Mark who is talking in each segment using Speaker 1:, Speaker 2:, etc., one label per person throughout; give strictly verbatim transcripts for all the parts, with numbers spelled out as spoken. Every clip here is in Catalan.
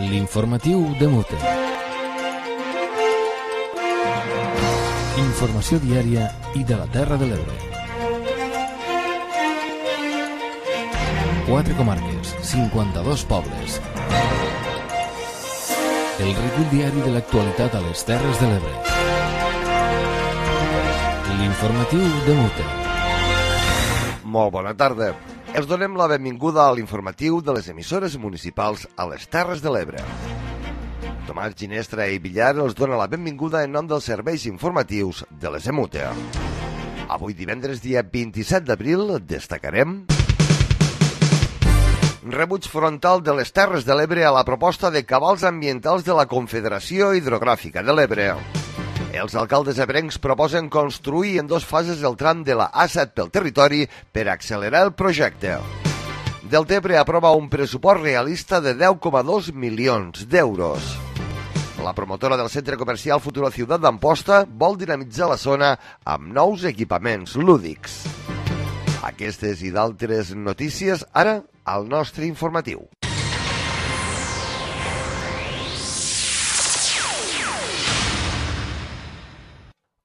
Speaker 1: L'informatiu de Mute. Informació diària i de la Terra de l'Ebre. Quatre comarques, cinquanta-dos pobles. El recull diari de l'actualitat a les Terres de l'Ebre. L'informatiu de Mute.
Speaker 2: Molt bona tarda. Els donem la benvinguda a l'informatiu de les emissores municipals a les Terres de l'Ebre. Tomàs Ginestra i Villar els dona la benvinguda en nom dels serveis informatius de les Emute. Avui divendres, dia vint-i-set d'abril, destacarem rebuig frontal de les Terres de l'Ebre a la proposta de cabals ambientals de la Confederació Hidrogràfica de l'Ebre. Els alcaldes ebrencs proposen construir en dues fases el tram de la A set pel territori per accelerar el projecte. Deltebre aprova un pressupost realista de deu coma dos milions d'euros. La promotora del centre comercial Futuro Ciudad d'Amposta vol dinamitzar la zona amb nous equipaments lúdics. Aquestes i d'altres notícies ara al nostre informatiu.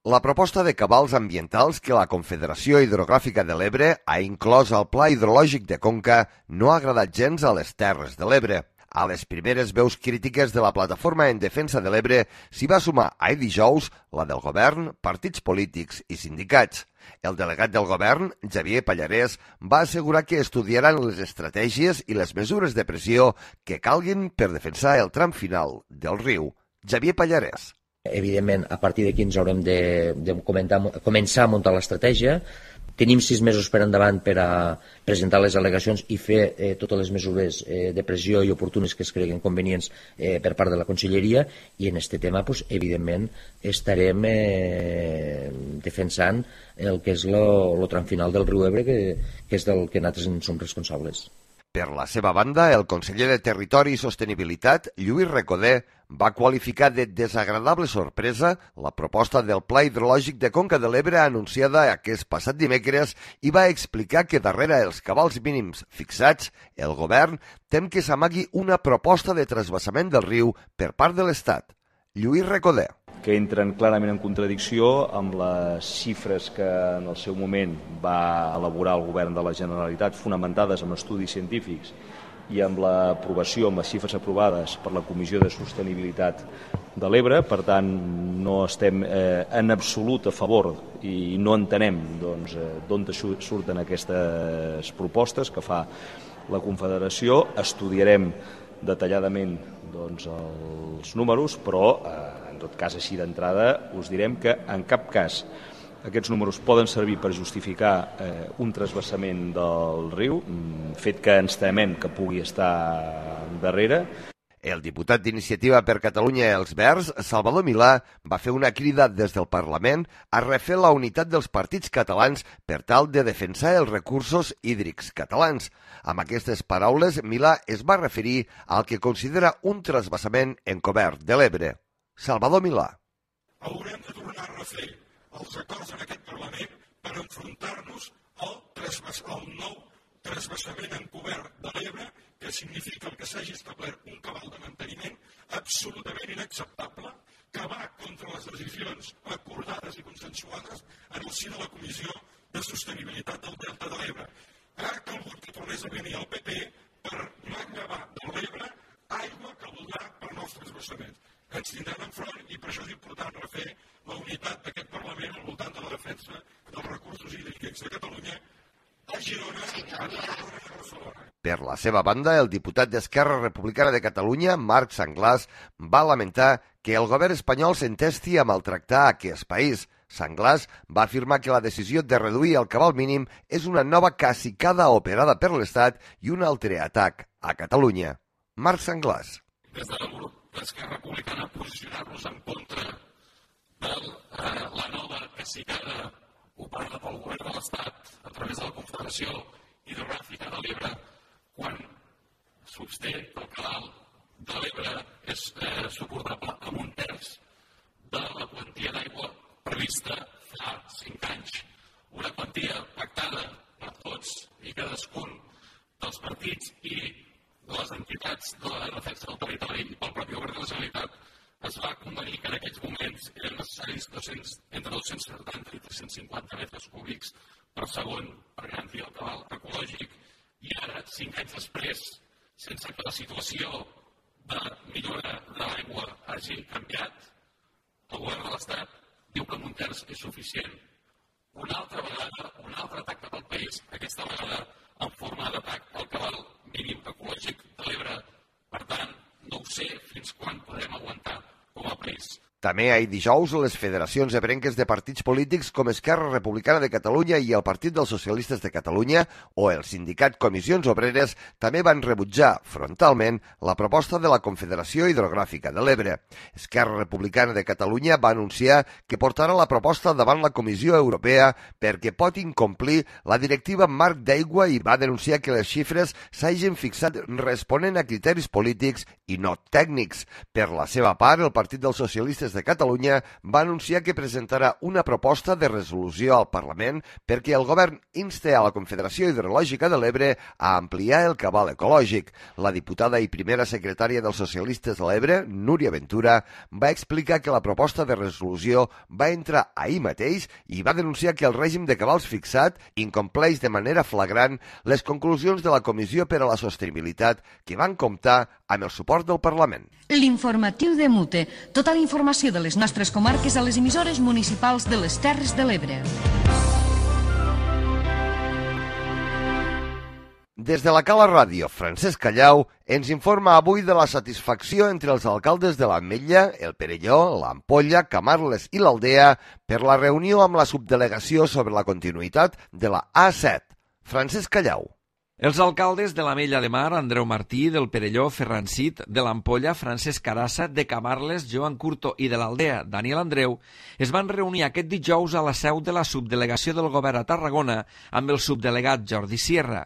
Speaker 2: La proposta de cabals ambientals que la Confederació Hidrogràfica de l'Ebre ha inclòs al Pla Hidrològic de Conca no ha agradat gens a les Terres de l'Ebre. A les primeres veus crítiques de la Plataforma en Defensa de l'Ebre s'hi va sumar ahir dijous la del govern, partits polítics i sindicats. El delegat del govern, Xavier Pallarès, va assegurar que estudiaran les estratègies i les mesures de pressió que calguin per defensar el tram final del riu. Xavier Pallarès.
Speaker 3: Evidentment, a partir d'aquí ens haurem de, de comentar, començar a muntar l'estratègia. Tenim sis mesos per endavant per a presentar les al·legacions i fer eh, totes les mesures eh, de pressió i oportunes que es creguin convenients eh, per part de la Conselleria, i en aquest tema, pues, evidentment, estarem eh, defensant el que és el tram final del riu Ebre, que, que és del que nosaltres en som responsables.
Speaker 2: Per la seva banda, el conseller de Territori i Sostenibilitat, Lluís Recoder, va qualificar de desagradable sorpresa la proposta del Pla Hidrològic de Conca de l'Ebre anunciada aquest passat dimecres i va explicar que darrere els cabals mínims fixats, el govern tem que s'amagui una proposta de trasbassament del riu per part de l'Estat. Lluís Recoder.
Speaker 4: Que entren clarament en contradicció amb les xifres que en el seu moment va elaborar el govern de la Generalitat, fonamentades en estudis científics i amb l'aprovació, amb les xifres aprovades per la Comissió de Sostenibilitat de l'Ebre. Per tant, no estem eh, en absolut a favor i no entenem doncs, eh, d'on surten aquestes propostes que fa la Confederació. Estudiarem detalladament doncs, els números, però eh, en tot cas, així d'entrada, us direm que en cap cas aquests números poden servir per justificar eh, un trasbassament del riu, fet que ens temem que pugui estar darrere.
Speaker 2: El diputat d'Iniciativa per Catalunya Els Verds, Salvador Milà, va fer una crida des del Parlament a refer la unitat dels partits catalans per tal de defensar els recursos hídrics catalans. Amb aquestes paraules, Milà es va referir al que considera un trasbassament encobert de l'Ebre. Salvador Milà.
Speaker 5: Haurem de tornar a refer els acords en aquest Parlament per enfrontar-nos al, trasbas, al nou trasbassament encobert de l'Ebre, que significa el que s'hagi establert un cabal de manteniment absolutament inacceptable, que va contra les decisions acordades i consensuades en el si de la Comissió de Sostenibilitat del Delta de l'Ebre. Ha calgut que tornés a venir el P P per manllevar de l'Ebre aigua que voldrà per nous trasbassaments. Ens tindran enfront i per això és important refer la unitat d'aquest Parlament al voltant de la defensa dels recursos hídrics de Catalunya a Girona, a Girona i a Barcelona.
Speaker 2: Per la seva banda, el diputat d'Esquerra Republicana de Catalunya, Marc Sanglàs, va lamentar que el govern espanyol s'entesti a maltractar aquest país. Sanglàs va afirmar que la decisió de reduir el cabal mínim és una nova cacicada operada per l'Estat i un altre atac a Catalunya. Marc Sanglàs.
Speaker 5: Des del grup d'Esquerra Republicana posicionar-nos en contra de eh, la nova cacicada operada pel govern de l'Estat a través de la Confederació Hidrogràfica de l'Ebre, quan s'obté que el cabal de l'Ebre és eh, suportable amb un terç de la quantia d'aigua prevista fa cinc anys. Una quantia pactada per tots i cadascun dels partits i de les entitats entitats de la defensa del territori i pel propi govern de la Generalitat es va convenir que en aquests moments eren necessaris dos-cents, entre dos-cents setanta i tres-cents cinquanta metres cúbics per segon per garantir el cabal ecològic, i ara, cinc anys després, sense que la situació de millora de l'aigua hagi canviat, el govern de l'Estat diu que amb un terç és suficient. Una altra vegada, un altre atac cap al país, aquesta vegada en forma d'atac al cabal mínim ecològic de l'Ebre. Per tant, no ho sé fins quan podrem aguantar com a país.
Speaker 2: També ahir dijous, les federacions ebrenques de partits polítics com Esquerra Republicana de Catalunya i el Partit dels Socialistes de Catalunya o el sindicat Comissions Obreres també van rebutjar frontalment la proposta de la Confederació Hidrogràfica de l'Ebre. Esquerra Republicana de Catalunya va anunciar que portarà la proposta davant la Comissió Europea perquè pot incomplir la directiva marc d'aigua i va denunciar que les xifres s'hagin fixat responent a criteris polítics i no tècnics. Per la seva part, el Partit dels Socialistes de Catalunya va anunciar que presentarà una proposta de resolució al Parlament perquè el govern inste a la Confederació Hidrològica de l'Ebre a ampliar el cabal ecològic. La diputada i primera secretària dels Socialistes de l'Ebre, Núria Ventura, va explicar que la proposta de resolució va entrar ahir mateix i va denunciar que el règim de cabals fixat incompleix de manera flagrant les conclusions de la Comissió per a la Sostenibilitat que van comptar amb el suport del Parlament.
Speaker 6: L'informatiu de Mute. Tota la informació de les nostres comarques a les emissores municipals de les Terres de l'Ebre.
Speaker 2: Des de la Cala Ràdio, Francesc Callau ens informa avui de la satisfacció entre els alcaldes de l'Ametlla, el Perelló, l'Ampolla, Camarles i l'Aldea per la reunió amb la subdelegació sobre la continuïtat de la A set. Francesc Callau.
Speaker 7: Els alcaldes de l'Ametlla de Mar, Andreu Martí, del Perelló, Ferran Cid, de l'Ampolla, Francesc Carassa, de Camarles, Joan Curto i de l'Aldea, Daniel Andreu, es van reunir aquest dijous a la seu de la subdelegació del govern a Tarragona amb el subdelegat Jordi Sierra.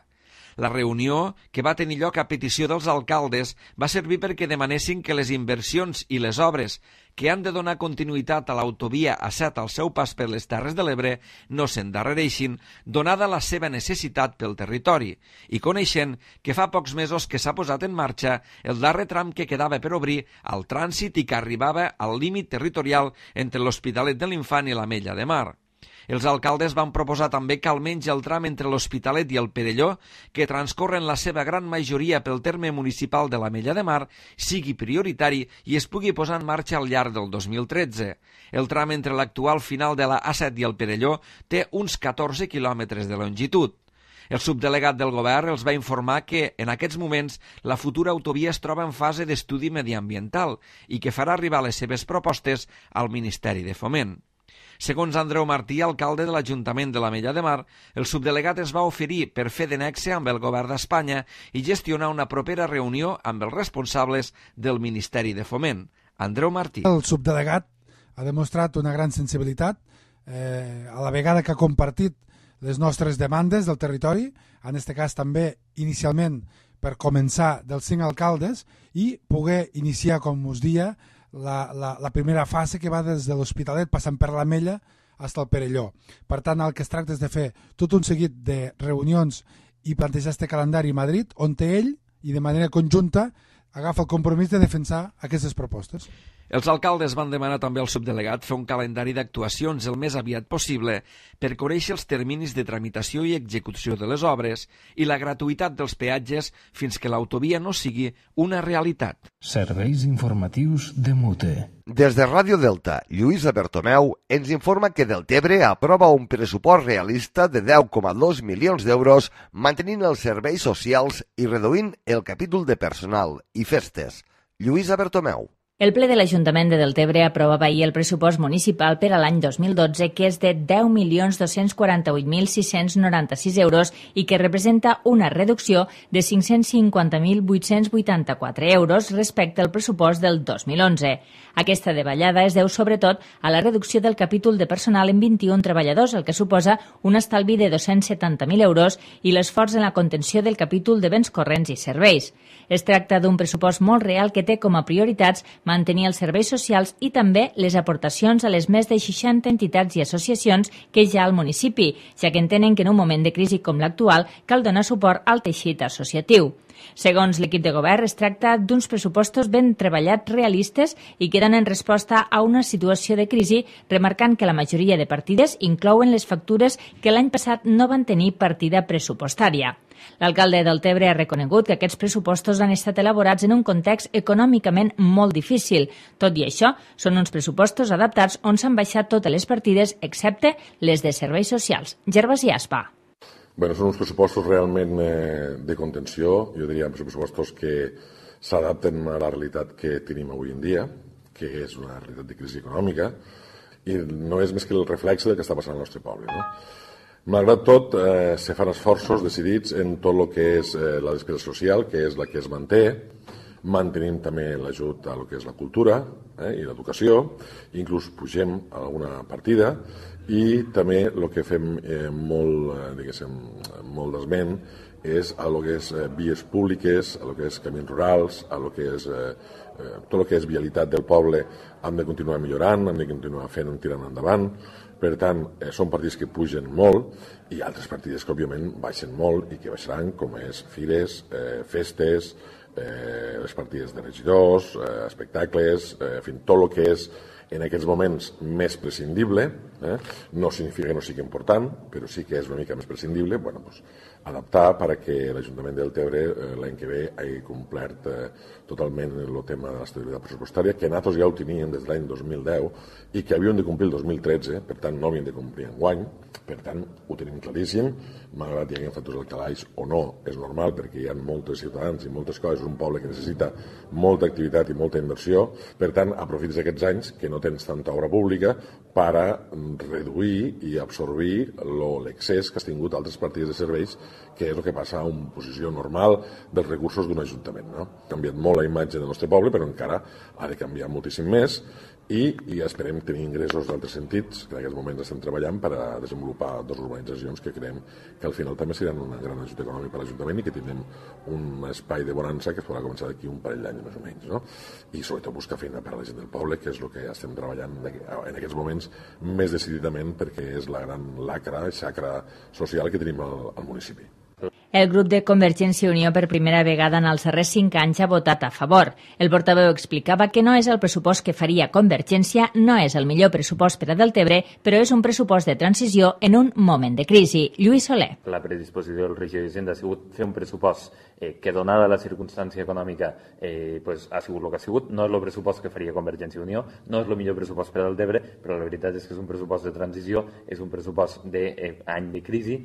Speaker 7: La reunió, que va tenir lloc a petició dels alcaldes, va servir perquè demanessin que les inversions i les obres que han de donar continuïtat a l'autovia A set al seu pas per les Terres de l'Ebre no s'endarrereixin, donada la seva necessitat pel territori, i coneixent que fa pocs mesos que s'ha posat en marxa el darrer tram que quedava per obrir al trànsit i que arribava al límit territorial entre l'Hospitalet de l'Infant i l'Ametlla de Mar. Els alcaldes van proposar també que almenys el tram entre l'Hospitalet i el Perelló, que transcorre en la seva gran majoria pel terme municipal de l'Ametlla de Mar, sigui prioritari i es pugui posar en marxa al llarg del dos mil tretze. El tram entre l'actual final de la A set i el Perelló té uns catorze quilòmetres de longitud. El subdelegat del govern els va informar que, en aquests moments, la futura autovia es troba en fase d'estudi mediambiental i que farà arribar les seves propostes al Ministeri de Foment. Segons Andreu Martí, alcalde de l'Ajuntament de l'Ametlla de Mar, el subdelegat es va oferir per fer de nexe amb el govern d'Espanya i gestionar una propera reunió amb els responsables del Ministeri de Foment. Andreu Martí.
Speaker 8: El subdelegat ha demostrat una gran sensibilitat, eh, a la vegada que ha compartit les nostres demandes del territori, en aquest cas també inicialment per començar dels cinc alcaldes i poder iniciar, com us dia, La, la, la primera fase que va des de l'Hospitalet passant per l'Ametlla fins al Perelló. Per tant, el que es tracta és de fer tot un seguit de reunions i plantejar este calendari a Madrid, on ell, i de manera conjunta, agafa el compromís de defensar aquestes propostes.
Speaker 7: Els alcaldes van demanar també al subdelegat fer un calendari d'actuacions el més aviat possible per conèixer els terminis de tramitació i execució de les obres i la gratuïtat dels peatges fins que l'autovia no sigui una realitat.
Speaker 1: Serveis informatius de Mute.
Speaker 2: Des de Ràdio Delta, Lluïsa Bertomeu ens informa que Deltebre aprova un pressupost realista de deu coma dos milions d'euros mantenint els serveis socials i reduint el capítol de personal i festes. Lluïsa Bertomeu.
Speaker 9: El ple de l'Ajuntament de Deltebre aprovava ahir el pressupost municipal per a l'any dos mil dotze, que és de deu milions dos-cents quaranta-vuit mil sis-cents noranta-sis euros i que representa una reducció de cinc-cents cinquanta mil vuit-cents vuitanta-quatre euros respecte al pressupost del dos mil onze. Aquesta davallada es deu sobretot a la reducció del capítol de personal en vint-i-un treballadors, el que suposa un estalvi de dos-cents setanta mil euros i l'esforç en la contenció del capítol de béns corrents i serveis. Es tracta d'un pressupost molt real que té com a prioritats mantenir els serveis socials i també les aportacions a les més de seixanta entitats i associacions que hi ha al municipi, ja que entenen que en un moment de crisi com l'actual cal donar suport al teixit associatiu. Segons l'equip de govern, es tracta d'uns pressupostos ben treballats, realistes i que donen resposta a una situació de crisi, remarcant que la majoria de partides inclouen les factures que l'any passat no van tenir partida pressupostària. L'alcalde del Tebre ha reconegut que aquests pressupostos han estat elaborats en un context econòmicament molt difícil. Tot i això, són uns pressupostos adaptats on s'han baixat totes les partides, excepte les de serveis socials. Gervasi Aspa.
Speaker 10: Bueno, són uns pressupostos realment eh, de contenció, jo diria pressupostos que s'adapten a la realitat que tenim avui en dia, que és una realitat de crisi econòmica, i no és més que el reflex del que està passant al nostre poble, no? Malgrat tot, eh, se fan esforços decidits en tot el que és eh, la despesa social, que és la que es manté, mantenim també l'ajut a lo que és la cultura eh, i l'educació, inclús pugem alguna partida, i també el que fem eh, molt, eh, diguéssim, molt d'esment és a lo que és eh, vies públiques, a lo que és camins rurals, a lo que és eh, eh, tot el que és vialitat del poble, hem de continuar millorant, hem de continuar fent, tirant endavant. Per tant, eh, són partits que pugen molt i altres partides que, òbviament, baixen molt i que baixaran, com és fires, eh, festes, eh, les partides de regidors, eh, espectacles, eh, en fi, tot el que és en aquests moments més prescindible, eh? No significa que no sigui important, però sí que és una mica més prescindible, bueno, pues, adaptar perquè l'Ajuntament del Tebre eh, l'any que ve hagi complert eh, totalment el tema de l'estabilitat pressupostària, que nosaltres ja ho teníem des de l'any dos mil deu i que havíem de complir el dos mil tretze, per tant no havíem de complir enguany, per tant ho tenim claríssim, malgrat hi hagi factors al calaix o no, és normal perquè hi ha molts ciutadans i moltes coses, un poble que necessita molta activitat i molta inversió, per tant aprofites aquests anys que no tens tanta obra pública per a reduir i absorbir l'excés que has tingut altres partides de serveis, que és el que passa a una posició normal dels recursos d'un ajuntament. No? Ha canviat molt la imatge del nostre poble, però encara ha de canviar moltíssim més i, i esperem tenir ingressos d'altres sentits, que en aquests moments estem treballant per a desenvolupar dues urbanitzacions que creiem que al final també seran un gran ajut econòmic per a l'Ajuntament i que tindrem un espai de bonança que es podrà començar d'aquí un parell d'anys més o menys. No? I sobretot buscar feina per a la gent del poble, que és el que estem treballant en aquests moments més decididament perquè és la gran lacra, xacra social que tenim al, al municipi.
Speaker 9: El grup de Convergència i Unió per primera vegada en els darrers cinc anys ha votat a favor. El portaveu explicava que no és el pressupost que faria Convergència, no és el millor pressupost per a Deltebre, però és un pressupost de transició en un moment de crisi. Lluís Soler.
Speaker 11: La predisposició del regidor d'Hisenda ha sigut fer un pressupost eh, que, donada la circumstància econòmica, eh, pues, ha sigut el que ha sigut. No és el pressupost que faria Convergència i Unió, no és el millor pressupost per a Deltebre, però la veritat és que és un pressupost de transició, és un pressupost d'any de crisi,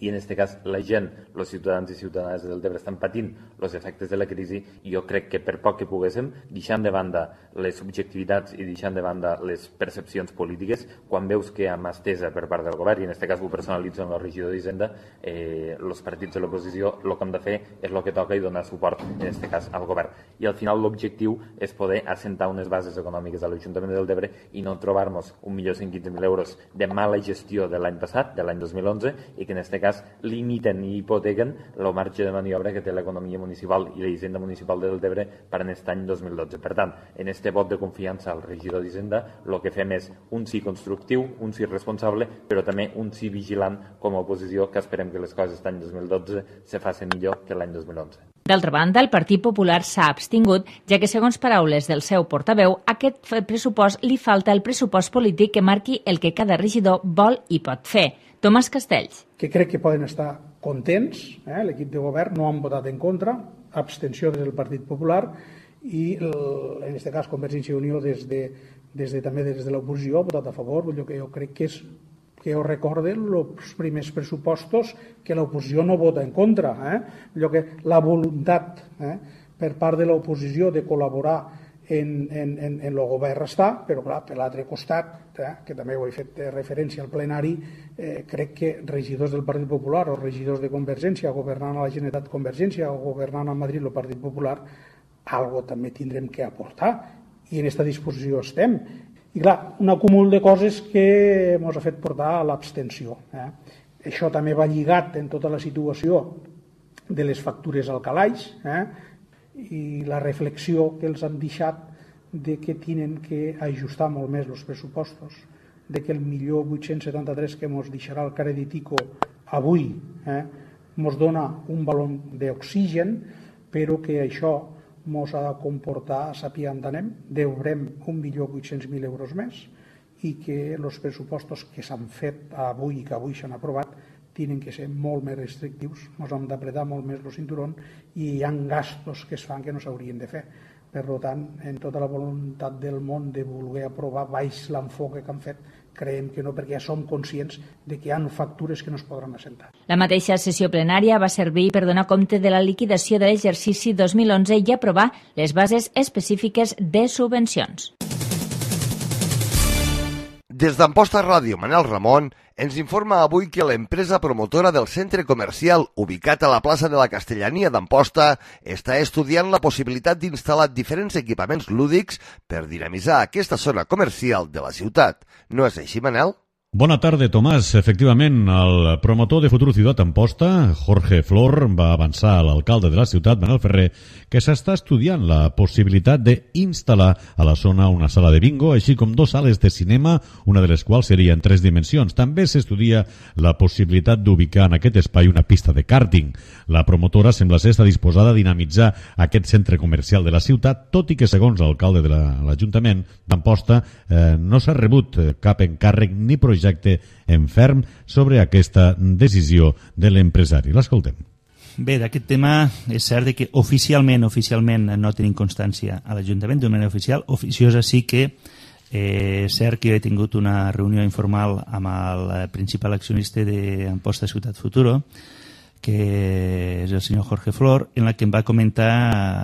Speaker 11: i en aquest cas la gent, els ciutadans i ciutadanes del Tebre estan patint els efectes de la crisi i jo crec que per poc que poguéssim, deixant de banda les subjectivitats i deixant de banda les percepcions polítiques, quan veus que hi ha mà estesa per part del govern, i en aquest cas ho personalitzo en el regidor d'Hisenda, eh, els partits de l'oposició el que hem de fer és el que toca i donar suport, en aquest cas, al govern. I al final l'objectiu és poder assentar unes bases econòmiques a l'Ajuntament del Tebre i no trobar-nos un milió cent quinze mil euros de mala gestió de l'any passat, de l'any dos mil onze, i que en aquest cas limiten i hipotequen el marge de maniobra que té l'economia municipal i la hisenda municipal de Deltebre per a aquest any dos mil dotze. Per tant, en aquest vot de confiança al regidor d'Hisenda, el que fem és un sí constructiu, un sí responsable, però també un sí vigilant com a oposició, que esperem que les coses aquest any dos mil dotze se facin millor que l'any dos mil onze.
Speaker 9: D'altra banda, el Partit Popular s'ha abstingut, ja que, segons paraules del seu portaveu, a aquest pressupost li falta el pressupost polític que marqui el que cada regidor vol i pot fer. Tomàs Castells.
Speaker 12: Que crec que poden estar contents, eh? L'equip de govern no han votat en contra, abstenció des del Partit Popular i el, en aquest cas Convergència i Unió des de, des de, també des de l'oposició ha votat a favor, allò que jo crec que és que ho recorden els primers pressupostos que l'oposició no vota en contra. Eh? Allò que la voluntat eh, per part de l'oposició de col·laborar en, en, en, en el govern està, però clar, per l'altre costat, eh, que també ho he fet referència al plenari, eh, crec que regidors del Partit Popular o regidors de Convergència, governant a la Generalitat Convergència o governant a Madrid el Partit Popular, algo també tindrem que aportar i en aquesta disposició estem. I clar, un acúmul de coses que ens ha fet portar a l'abstenció. Eh? Això també va lligat en tota la situació de les factures al calaix eh? i la reflexió que els han deixat de que tenen que ajustar molt més els pressupostos, de que el milió vuit-cents setanta-tres que ens deixarà el Creditico avui, eh? ens dona un baló d'oxigen, però que això ens ha de comportar, sapiguem on anem, deurem un milió vuit-cents mil euros més i que els pressupostos que s'han fet avui i que avui s'han aprovat tenen que ser molt més restrictius, ens hem d'apretar molt més el cinturón i hi ha gastos que es fan que no s'haurien de fer. Per tant, en tota la voluntat del món de voler aprovar baix l'enfoque que han fet, creiem que no, perquè ja som conscients de que hi ha factures que no es podran assentar.
Speaker 9: La mateixa sessió plenària va servir per donar compte de la liquidació de l'exercici dos mil onze i aprovar les bases específiques de subvencions.
Speaker 2: Des d'Amposta Ràdio, Manel Ramon ens informa avui que l'empresa promotora del centre comercial ubicat a la plaça de la Castellania d'Amposta està estudiant la possibilitat d'instal·lar diferents equipaments lúdics per dinamitzar aquesta zona comercial de la ciutat. No és així, Manel?
Speaker 13: Bona tarda, Tomàs. Efectivament, el promotor de Futur Ciutat Amposta, Jorge Flor, va avançar a l'alcalde de la ciutat, Manel Ferrer, que s'està estudiant la possibilitat d'instal·lar a la zona una sala de bingo, així com dues sales de cinema, una de les quals seria en tres dimensions. També s'estudia la possibilitat d'ubicar en aquest espai una pista de kàrting. La promotora sembla ser estar disposada a dinamitzar aquest centre comercial de la ciutat, tot i que, segons l'alcalde de l'Ajuntament d'Amposta, eh, no s'ha rebut cap encàrrec ni projecte projecte en ferm sobre aquesta decisió de l'empresari. L'escoltem.
Speaker 14: Bé, d'aquest tema és cert que oficialment oficialment no tenim constància a l'Ajuntament d'una manera oficial. Oficiosa sí que eh, és cert que he tingut una reunió informal amb el principal accionista d'Amposta Ciutat Futuro, que és el senyor Jorge Flor, en la que em va comentar,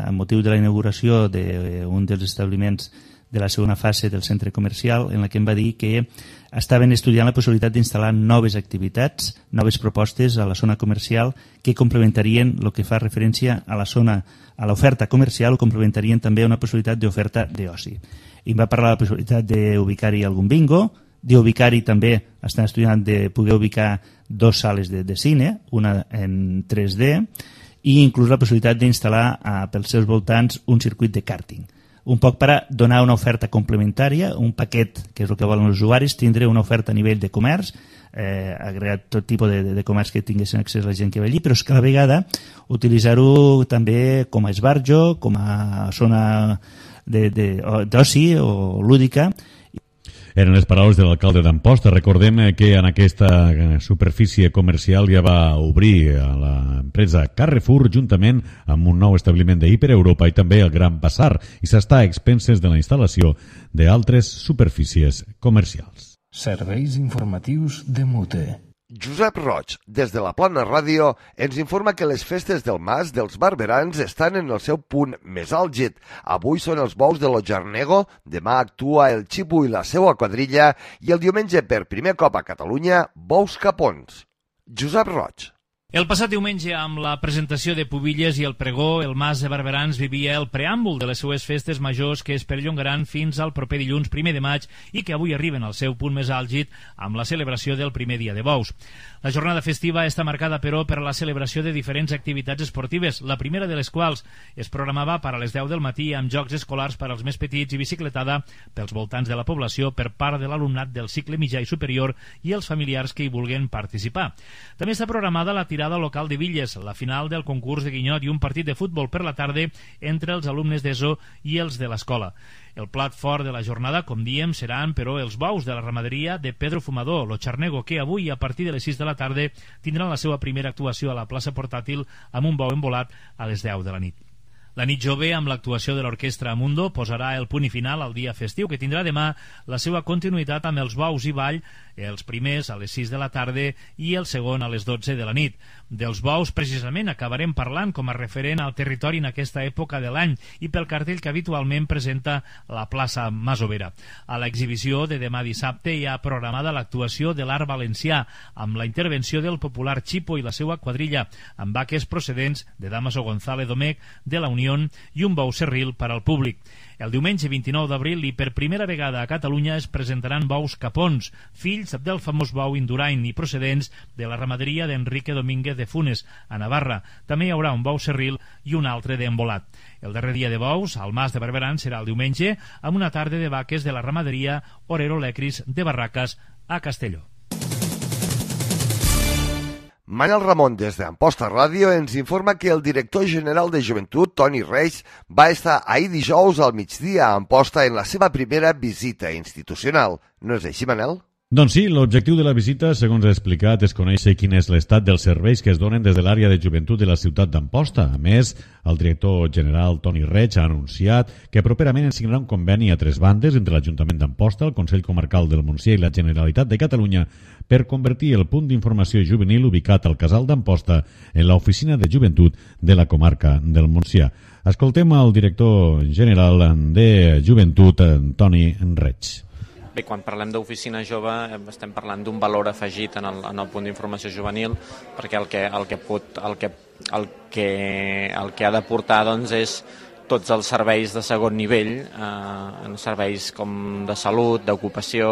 Speaker 14: amb motiu de la inauguració d'un dels establiments de la segona fase del centre comercial, en la que em va dir que estaven estudiant la possibilitat d'instal·lar noves activitats, noves propostes a la zona comercial que complementarien el que fa referència a la zona, a l'oferta comercial, o complementarien també una possibilitat d'oferta d'oci. I em va parlar de la possibilitat d'ubicar-hi algun bingo, d'ubicar-hi també, estan estudiant de poder ubicar dues sales de, de cine, una en tres D, i inclús la possibilitat d'instal·lar eh, pels seus voltants un circuit de kàrting. Un poc per a donar una oferta complementària, un paquet, que és el que volen els usuaris, tindre una oferta a nivell de comerç, eh, agregat tot tipus de, de comerç que tinguessin accés a la gent que ve allí, però és que a la vegada utilitzar-ho també com a esbarjo, com a zona d'oci o lúdica.
Speaker 13: Eren les paraules de l'alcalde d'Amposta. Recordem que en aquesta superfície comercial ja va obrir a l'empresa Carrefour juntament amb un nou establiment d'Hiper Europa i també el Gran Bazar, i s'està a expenses de la instal·lació d'altres superfícies comercials.
Speaker 1: Serveis informatius de Mute.
Speaker 2: Josep Roig, des de la Plana Ràdio, ens informa que les festes del Mas dels Barberans estan en el seu punt més àlgid. Avui són els bous de l'Ojarnego, demà actua el Xipu i la seva quadrilla i el diumenge, per primer cop a Catalunya, bous capons. Josep Roig.
Speaker 15: El passat diumenge, amb la presentació de Pubilles i el pregó, el Mas de Barberans vivia el preàmbul de les seues festes majors que es perllongaran fins al proper dilluns primer de maig i que avui arriben al seu punt més àlgid amb la celebració del primer dia de bous. La jornada festiva està marcada, però, per la celebració de diferents activitats esportives, la primera de les quals es programava per a les deu del matí amb jocs escolars per als més petits i bicicletada pels voltants de la població per part de l'alumnat del cicle mitjà i superior i els familiars que hi vulguin participar. També està programada la tirada local de Villes, la final del concurs de guinyot i un partit de futbol per la tarda entre els alumnes d'ESO i els de l'escola. El plat fort de la jornada, com diem, seran, però, els bous de la ramaderia de Pedro Fumador, l'Ojarnego, que avui, a partir de les sis de la tarda, tindran la seva primera actuació a la plaça portàtil amb un bou embolat a les deu de la nit. La nit jove, amb l'actuació de l'Orquestra Mundo, posarà el punt i final al dia festiu, que tindrà demà la seva continuïtat amb els bous i ball, els primers a les sis de la tarda i el segon a les dotze de la nit. Dels bous, precisament, acabarem parlant com a referent al territori en aquesta època de l'any i pel cartell que habitualment presenta la plaça Masovera. A l'exhibició de demà dissabte hi ha programada l'actuació de l'art valencià, amb la intervenció del popular Xipo i la seva quadrilla, amb vaques procedents de Damaso González Domecq, de la Unió i un bou serril per al públic. El diumenge vint-i-nou d'abril i per primera vegada a Catalunya es presentaran bous capons, fills del famós bou Indurain i procedents de la ramaderia d'Enrique Domínguez de Funes, a Navarra. També hi haurà un bou serril i un altre d'embolat. El darrer dia de bous, al Mas de Barberans, serà el diumenge, amb una tarda de vaques de la ramaderia Orero Lecris de Barracas a Castelló.
Speaker 2: Manel Ramon, des d'Amposta Ràdio, ens informa que el director general de Joventut, Toni Reig, va estar ahir dijous al migdia a Amposta en la seva primera visita institucional. No és així, Manel?
Speaker 13: Doncs sí, l'objectiu de la visita, segons ha explicat, és conèixer quin és l'estat dels serveis que es donen des de l'àrea de joventut de la ciutat d'Amposta. A més, el director general Toni Reig ha anunciat que properament es signarà un conveni a tres bandes entre l'Ajuntament d'Amposta, el Consell Comarcal del Montsià i la Generalitat de Catalunya per convertir el punt d'informació juvenil ubicat al Casal d'Amposta en l'oficina de joventut de la comarca del Montsià. Escoltem el director general de joventut, Toni Reig.
Speaker 16: Bé, quan parlem d'oficina jove estem parlant d'un valor afegit en el, en el punt d'informació juvenil, perquè el que, el que, pot, el que, el que, el que ha de portar doncs, és tots els serveis de segon nivell, eh, serveis com de salut, d'ocupació,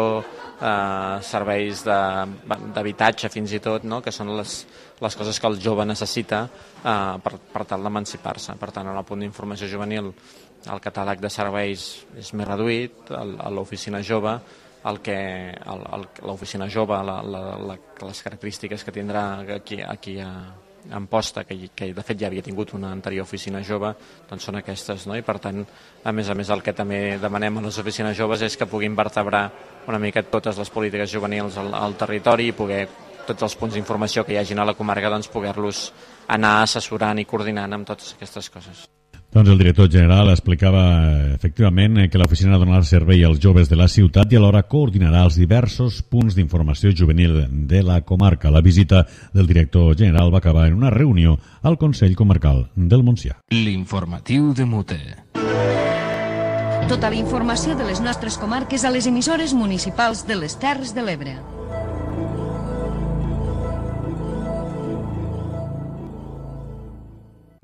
Speaker 16: eh, serveis d'habitatge fins i tot, no? Que són les, les coses que el jove necessita eh, per, per tal d'emancipar-se. Per tant, en el punt d'informació juvenil el catàleg de serveis és més reduït, a l'oficina jove, el que l'oficina jove, la, la, la, les característiques que tindrà aquí, aquí a Amposta, que, que de fet ja havia tingut una anterior oficina jove, doncs són aquestes, no? I per tant, a més a més, el que també demanem a les oficines joves és que puguin vertebrar una mica totes les polítiques juvenils al, al territori i poder tots els punts d'informació que hi hagin a la comarca, doncs poder-los anar assessorant i coordinant amb totes aquestes coses.
Speaker 13: Doncs el director general explicava efectivament que l'oficina donarà servei als joves de la ciutat i alhora coordinarà els diversos punts d'informació juvenil de la comarca. La visita del director general va acabar en una reunió al Consell Comarcal del Montsià.
Speaker 1: L'informatiu de Mute.
Speaker 6: Tota la informació de les nostres comarques a les emissores municipals de les Terres de l'Ebre.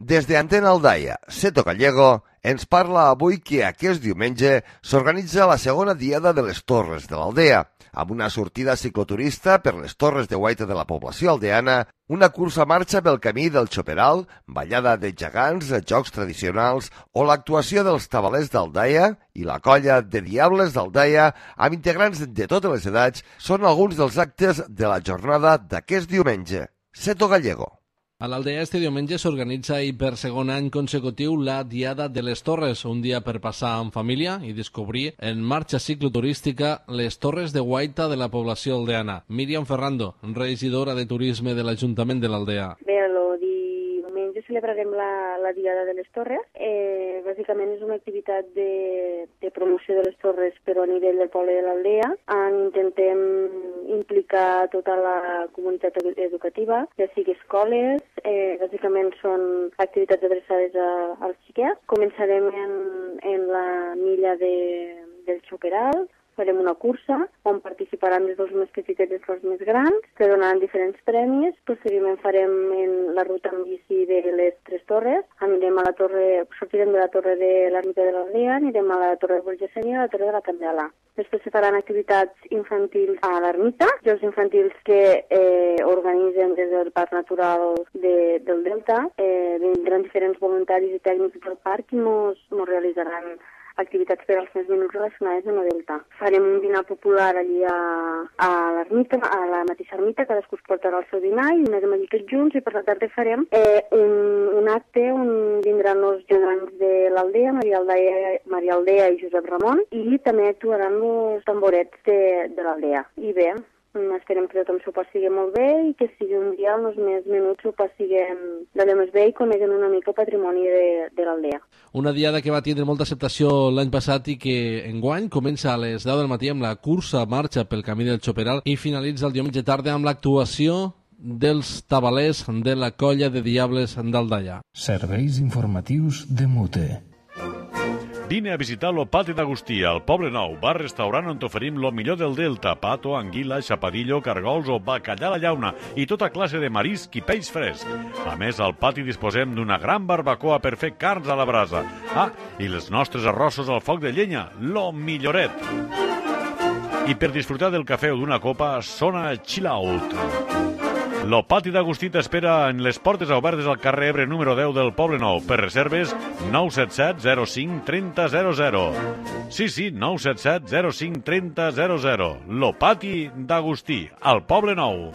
Speaker 2: Des d'Antena Aldaia, Seto Gallego ens parla avui que aquest diumenge s'organitza la segona diada de les Torres de l'Aldea, amb una sortida cicloturista per les Torres de Guaita de la població aldeana, una cursa marxa pel camí del Xoperal, ballada de gegants, jocs tradicionals o l'actuació dels tabalers d'Aldaia i la colla de Diables d'Aldaia amb integrants de totes les edats són alguns dels actes de la jornada d'aquest diumenge. Seto Gallego.
Speaker 17: A l'Aldea este diumenge s'organitza i per segon any consecutiu la Diada de les Torres, un dia per passar en família i descobrir en marxa cicloturística les Torres de Guaita de la població aldeana. Míriam Ferrando, regidora de Turisme de l'Ajuntament de l'Aldea.
Speaker 18: Bé, el diumenge celebrarem la, la Diada de les Torres. Eh, bàsicament és una activitat de, de promoció de les Torres però a nivell del poble de l'Aldea. En intentem implicar tota la comunitat educativa, ja sigui escoles, eh, bàsicament són activitats adreçades a, als xiquets. Començarem en, en la milla de, del Xoperal, farem una cursa on participaran des dels més petits i dels més grans, que donaran diferents premis. Posteriorment farem en la ruta en bici de les Tres Torres, anirem a la torre, sortirem de la torre de l'Ermita de l'Aldea, anirem a la torre de Bolgesenia i a la torre de la Candela. Després se faran activitats infantils a l'Ermita, jocs infantils que eh, organitzen des del Parc Natural de, del Delta. Eh, vindran diferents voluntaris i tècnics del parc i mos, mos realitzaran activitats per als més menuts relacionades amb el Delta. Farem un dinar popular allí a, a l'ermita, a la mateixa ermita, cadascú es portarà el seu dinar i dinarem allí tots junts, i per la tarda farem eh, un, un acte on vindran els gegants de l'Aldea, Maria Aldea, Maria Aldea i Josep Ramon, i també actuaran els tamborets de, de l'Aldea. I bé, esperem que tothom s'ho passi molt bé i que sigui un dia on els més menuts s'ho passiguem d'allò més bé i coneguen una mica el patrimoni de, de l'Aldea.
Speaker 17: Una diada que va tindre molta acceptació l'any passat i que enguany comença a les deu del matí amb la cursa marxa pel camí del Xoperal i finalitza el diumenge tarda amb l'actuació dels tabalers de la colla de Diables d'Aldaia.
Speaker 1: Serveis informatius de Mute.
Speaker 13: Vine a visitar lo Pati d'Agustí, al Poble Nou, bar-restaurant on t'oferim lo millor del Delta, pato, anguila, xapadillo, cargols o bacallà a la llauna i tota classe de marisc i peix fresc. A més, al pati disposem d'una gran barbacoa per fer carns a la brasa. Ah, i els nostres arrossos al foc de llenya, lo milloret. I per disfrutar del cafè o d'una copa, sona Chill Out. Lo Pati d'Agustí t'espera en les portes obertes al carrer Ebre número deu del Poble Nou. Per reserves, nou set set zero cinc trenta zero zero. Sí, sí, nou set set zero cinc trenta zero zero. Lo Pati d'Agustí, al Poble Nou.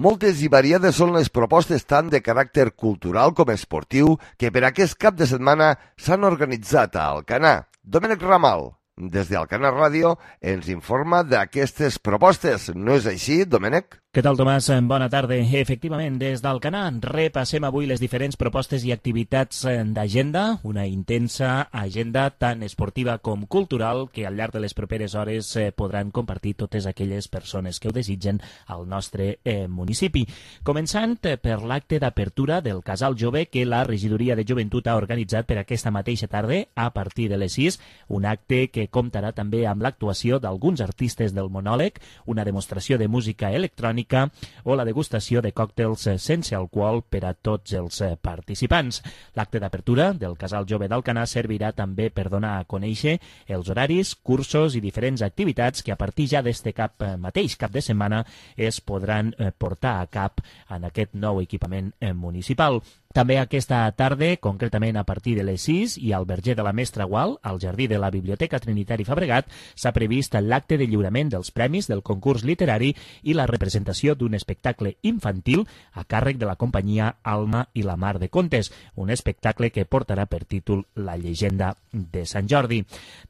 Speaker 2: Moltes i variades són les propostes tant de caràcter cultural com esportiu que per aquest cap de setmana s'han organitzat a Alcanar. Domènec Ramal, des d'Alcanar Ràdio, ens informa d'aquestes propostes. No és així, Domènec?
Speaker 19: Què tal, Tomàs? Bona tarda. Efectivament, des d'Alcanar repassem avui les diferents propostes i activitats d'agenda, una intensa agenda tant esportiva com cultural que al llarg de les properes hores podran compartir totes aquelles persones que ho desitgen al nostre eh, municipi. Començant per l'acte d'apertura del Casal Jove que la Regidoria de Joventut ha organitzat per aquesta mateixa tarda a partir de les sis, un acte que comptarà també amb l'actuació d'alguns artistes del monòleg, una demostració de música electrònica o la degustació de còctels sense alcohol per a tots els participants. L'acte d'apertura del Casal Jove d'Alcanar servirà també per donar a conèixer els horaris, cursos i diferents activitats que a partir ja d'este cap mateix cap de setmana es podran portar a cap en aquest nou equipament municipal. També aquesta tarda, concretament a partir de les sis, i al Verger de la Mestra Gual, al jardí de la Biblioteca Trinitari Fabregat, s'ha previst l'acte de lliurament dels premis del concurs literari i la representació d'un espectacle infantil a càrrec de la companyia Alma i la Mar de Contes, un espectacle que portarà per títol La llegenda de Sant Jordi.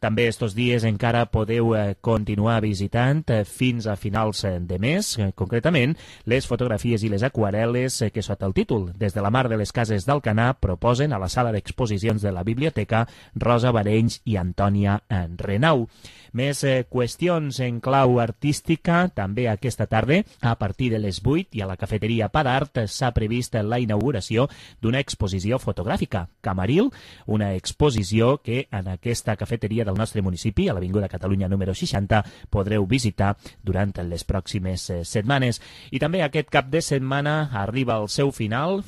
Speaker 19: També estos dies encara podeu continuar visitant fins a finals de mes, concretament, les fotografies i les aquarel·les que sota el títol Des de la Mar de les Cases d'Alcanar proposen a la sala d'exposicions de la biblioteca Rosa Barenys i Antònia Renau. Més eh, qüestions en clau artística, també aquesta tarda, a partir de les vuit i a la cafeteria Pa d'Art s'ha previst la inauguració d'una exposició fotogràfica, Camaril, una exposició que en aquesta cafeteria del nostre municipi, a l'Avinguda Catalunya número seixanta, podreu visitar durant les pròximes eh, setmanes. I també aquest cap de setmana arriba al seu final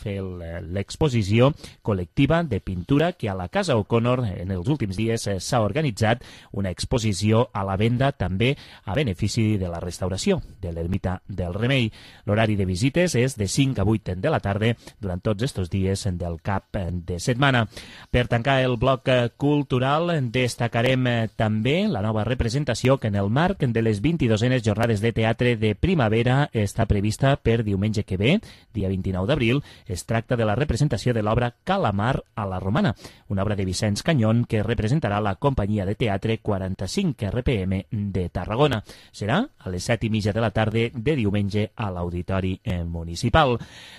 Speaker 19: l'exposició col·lectiva de pintura que a la Casa O'Connor en els últims dies eh, s'ha organitzat, una exposició a la venda també a benefici de la restauració de l'ermita del Remei. L'horari de visites és de cinc a vuit de la tarda durant tots estos dies del cap de setmana. Per tancar el bloc cultural destacarem també la nova representació que en el marc de les vint-i-dosenes jornades de teatre de primavera està prevista per diumenge que ve, dia vint-i-nou d'abril. Es tracta de la representació de l'obra Calamar a la Romana, una obra de Vicenç Canyón que representarà la companyia de teatre quaranta-cinc R P M de Tarragona. Serà a les set i mitja de la tarda de diumenge a l'Auditori Municipal.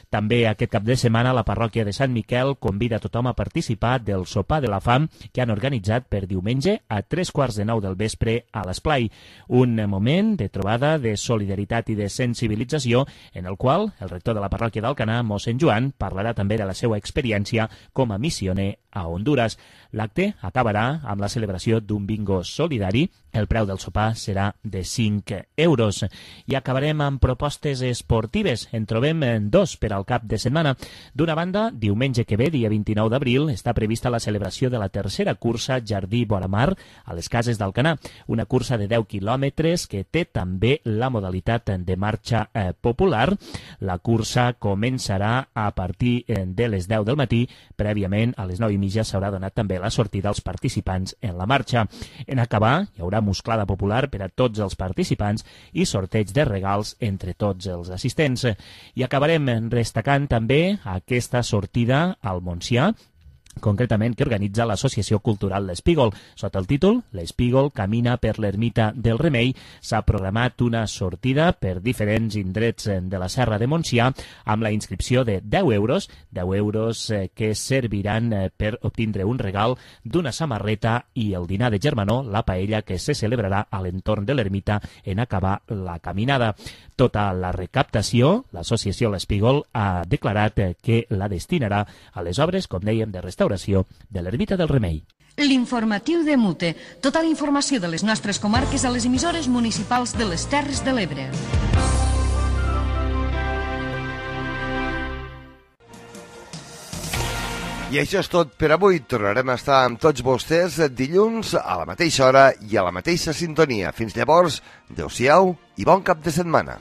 Speaker 19: També aquest cap de setmana la parròquia de Sant Miquel convida a tothom a participar del sopar de la fam que han organitzat per diumenge a tres quarts de nou del vespre a l'Esplai. Un moment de trobada, de solidaritat i de sensibilització en el qual el rector de la parròquia d'Alcanar, mossèn Joan, parlarà també de la seva experiència com a missioner a Honduras. L'acte acabarà amb la celebració d'un bingo solidari. El preu del sopar serà de cinc euros. I acabarem amb propostes esportives. En trobem dos per al cap de setmana. D'una banda, diumenge que ve, dia vint-i-nou d'abril, està prevista la celebració de la tercera cursa Jardí Boramar a les Cases d'Alcanar, una cursa de deu quilòmetres que té també la modalitat de marxa eh, popular. La cursa començarà a partir eh, de les deu del matí. Prèviament, a les nou i mitja s'haurà donat també la sortida als participants en la marxa. En acabar, hi haurà musclada popular per a tots els participants i sorteig de regals entre tots els assistents. I acabarem destacant també aquesta sortida al Montsià, concretament que organitza l'Associació Cultural L'Espígol. Sota el títol L'Espígol camina per l'ermita del Remei s'ha programat una sortida per diferents indrets de la Serra de Montsià amb la inscripció de deu euros, deu euros que serviran per obtindre un regal d'una samarreta i el dinar de germanor, la paella que se celebrarà a l'entorn de l'ermita en acabar la caminada. Tota la recaptació, l'Associació L'Espígol ha declarat que la destinarà a les obres, com dèiem, de restauració de l'ermita del Remei.
Speaker 6: L'informatiu de Mute. Tota la informació de les nostres comarques a les emissores municipals de les Terres de l'Ebre.
Speaker 2: I això és tot per avui. Tornarem a estar amb tots vostès dilluns a la mateixa hora i a la mateixa sintonia. Fins llavors, adeu-siau i bon cap de setmana.